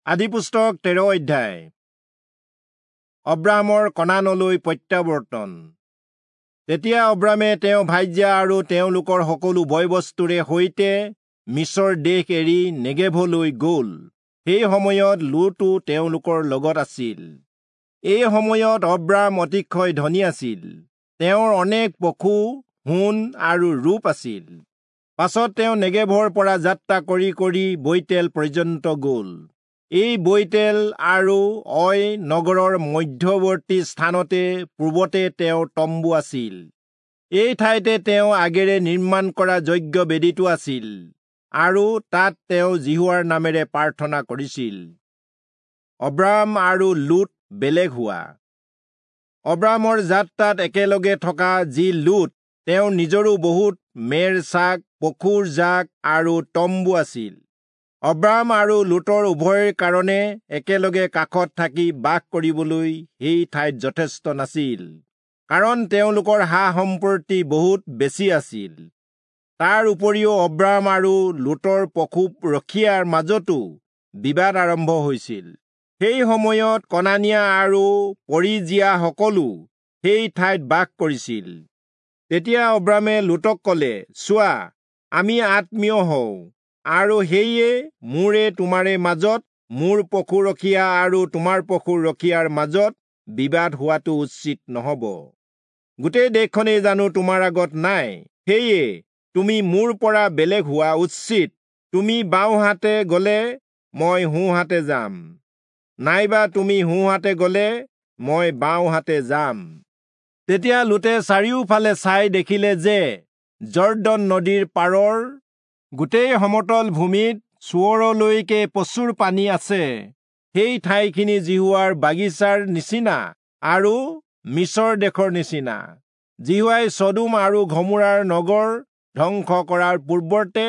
আদিপুস্তক 13 অধ্যায়। অব্ৰাহামৰ কনানলৈ প্ৰত্যাৱৰ্তন। তেতিয়া অব্ৰাহামে তেওঁ ভাৰ্যা আৰু তেওঁলোকৰ সকলো বয়-বস্তুৰে সৈতে মিচৰ দেশ এৰি নেগেভলৈ গ'ল। সেই সময়ত লোটো তেওঁলোকৰ লগত আছিল। এই সময়ত অব্ৰাহাম অতিশয় ধনী আছিল। তেওঁৰ অনেক পশু, সোণ আৰু ৰূপ আছিল। পাছত তেওঁ নেগেভৰ পৰা যাত্ৰা কৰি কৰি বৈতেল পৰ্যন্ত গ'ল। এই বৈতেল আৰু অয় নগৰৰ মধ্যৱৰ্তী স্থানতে পূৰ্বতে তেওঁৰ তম্বু আছিল। এই ঠাইতে তেওঁ আগেৰে নিৰ্মাণ কৰা যজ্ঞ বেদীটো আছিল আৰু তাত তেওঁ যিহোৱাৰ নামেৰে প্ৰাৰ্থনা কৰিছিল। অব্ৰাহাম আৰু লোট বেলেগ হোৱা। অব্ৰাহামৰ যাত্ৰাত একেলগে থকা যি লোট, তেওঁৰ নিজৰো বহুত মেৰ চাক, পশুৰ জাক আৰু তম্বু আছিল। অব্ৰাহাম আৰু লোটৰ উভয়ৰ কাৰণে একেলগে কাষত থাকি বাস কৰিবলৈ সেই ঠাইত যথেষ্ট নাছিল, কাৰণ তেওঁলোকৰ সা সম্পত্তি বহুত বেছি আছিল। তাৰ উপৰিও অব্ৰাহাম আৰু লোটৰ পশু ৰখীয়াৰ মাজতো বিবাদ আৰম্ভ হৈছিল। সেই সময়ত কনানীয়া আৰু পৰিজীয়াসকলো সেই ঠাইত বাস কৰিছিল। তেতিয়া অব্ৰাহামে লোটক ক'লে, চোৱা, আমি আত্মীয় হওঁ, আৰু সেয়ে মোৰে তোমাৰে মাজত, মোৰ পশু ৰখীয়া আৰু তোমাৰ পশু ৰখীয়াৰ মাজত বিবাদ হোৱাটো উচিত নহ'ব। গোটেই দেশখনেই জানো তোমাৰ আগত নাই? সেয়ে তুমি মোৰ পৰা বেলেগ হোৱা উচিত। তুমি বাওঁহাতে গ'লে মই সোঁহাতে যাম, নাইবা তুমি সোঁহাতে গ'লে মই বাওঁহাতে যাম। তেতিয়া লোটে চাৰিওফালে চাই দেখিলে যে যৰ্দন নদীৰ পাৰৰ গোটেই সমতল ভূমিত চোৱৰলৈকে প্ৰচুৰ পানী আছে। সেই ঠাইখিনি যিহোৱাৰ বাগিচাৰ নিচিনা আৰু মিচৰ দেশৰ নিচিনা। যিহোৱাই চদোম আৰু ঘমোৰাৰ নগৰ ধ্বংস কৰাৰ পূৰ্বতে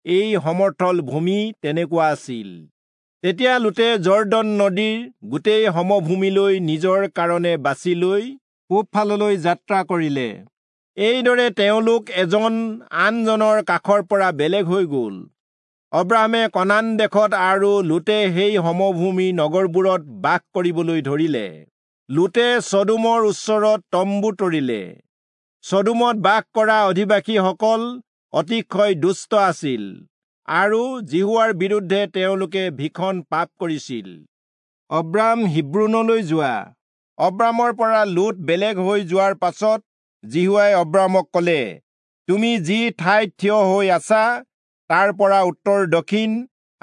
এই সমতল ভূমি তেনেকুৱা আছিল। তেতিয়া লোটে যৰ্দন নদীৰ গোটেই সমভূমিলৈ নিজৰ কাৰণে বাছি লৈ পূবফাললৈ যাত্ৰা কৰিলে। এইদৰে তেওঁলোক এজন আনজনৰ কাষৰ পৰা বেলেগ হৈ গ'ল। অব্ৰাহামে কনান দেশত আৰু লোটে সেই সমভূমি নগৰবোৰত বাস কৰিবলৈ ধৰিলে। লোটে চদোমৰ ওচৰত তম্বু তৰিলে। চদোমত বাস কৰা অধিবাসীসকল অতিশয় দুষ্ট আছিল আৰু যিহোৱাৰ বিৰুদ্ধে তেওঁলোকে ভীষণ পাপ কৰিছিল। অব্ৰাহাম হিব্ৰোনলৈ যোৱা। অব্ৰাহামৰ পৰা লোট বেলেগ হৈ যোৱাৰ পাছত যিহোৱাই অব্ৰাহামক ক'লে, তুমি যি ঠাইত থিয় হৈ আছা তাৰ পৰা উত্তৰ দক্ষিণ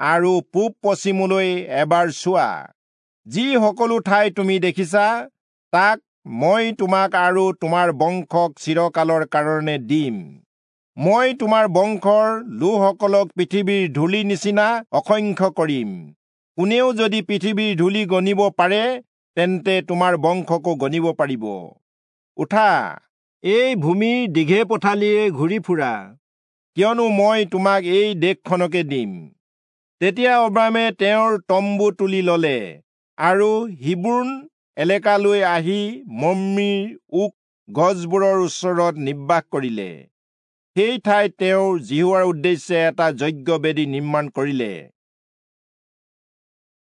আৰু পূব পশ্চিমলৈ এবাৰ চোৱা। যি সকলো ঠাই তুমি দেখিছা তাক মই তোমাক আৰু তোমাৰ বংশক চিৰকালৰ কাৰণে দিম। মই তোমাৰ বংশৰ লোকসকলক পৃথিৱীৰ ধূলিৰ নিচিনা অসংখ্য কৰিম। কোনেও যদি পৃথিৱীৰ ধূলি গণিব পাৰে, তেন্তে তোমাৰ বংশকো গণিব পাৰিব। উঠা, এই ভূমিৰ দীঘে পথালিয়ে ঘূৰি ফুৰা, কিয়নো মই তোমাক এই দেশখনকে দিম। তেতিয়া অব্ৰাহামে তেওঁৰ তম্বু তুলি ললে আৰু হিব্ৰোন এলেকালৈ আহি মম্ৰিৰ ওক গছবোৰৰ ওচৰত নিবাস কৰিলে। সেই ঠাইত তেওঁ যিহোৱাৰ উদ্দেশ্যে এটা যজ্ঞবেদী নিৰ্মাণ কৰিলে।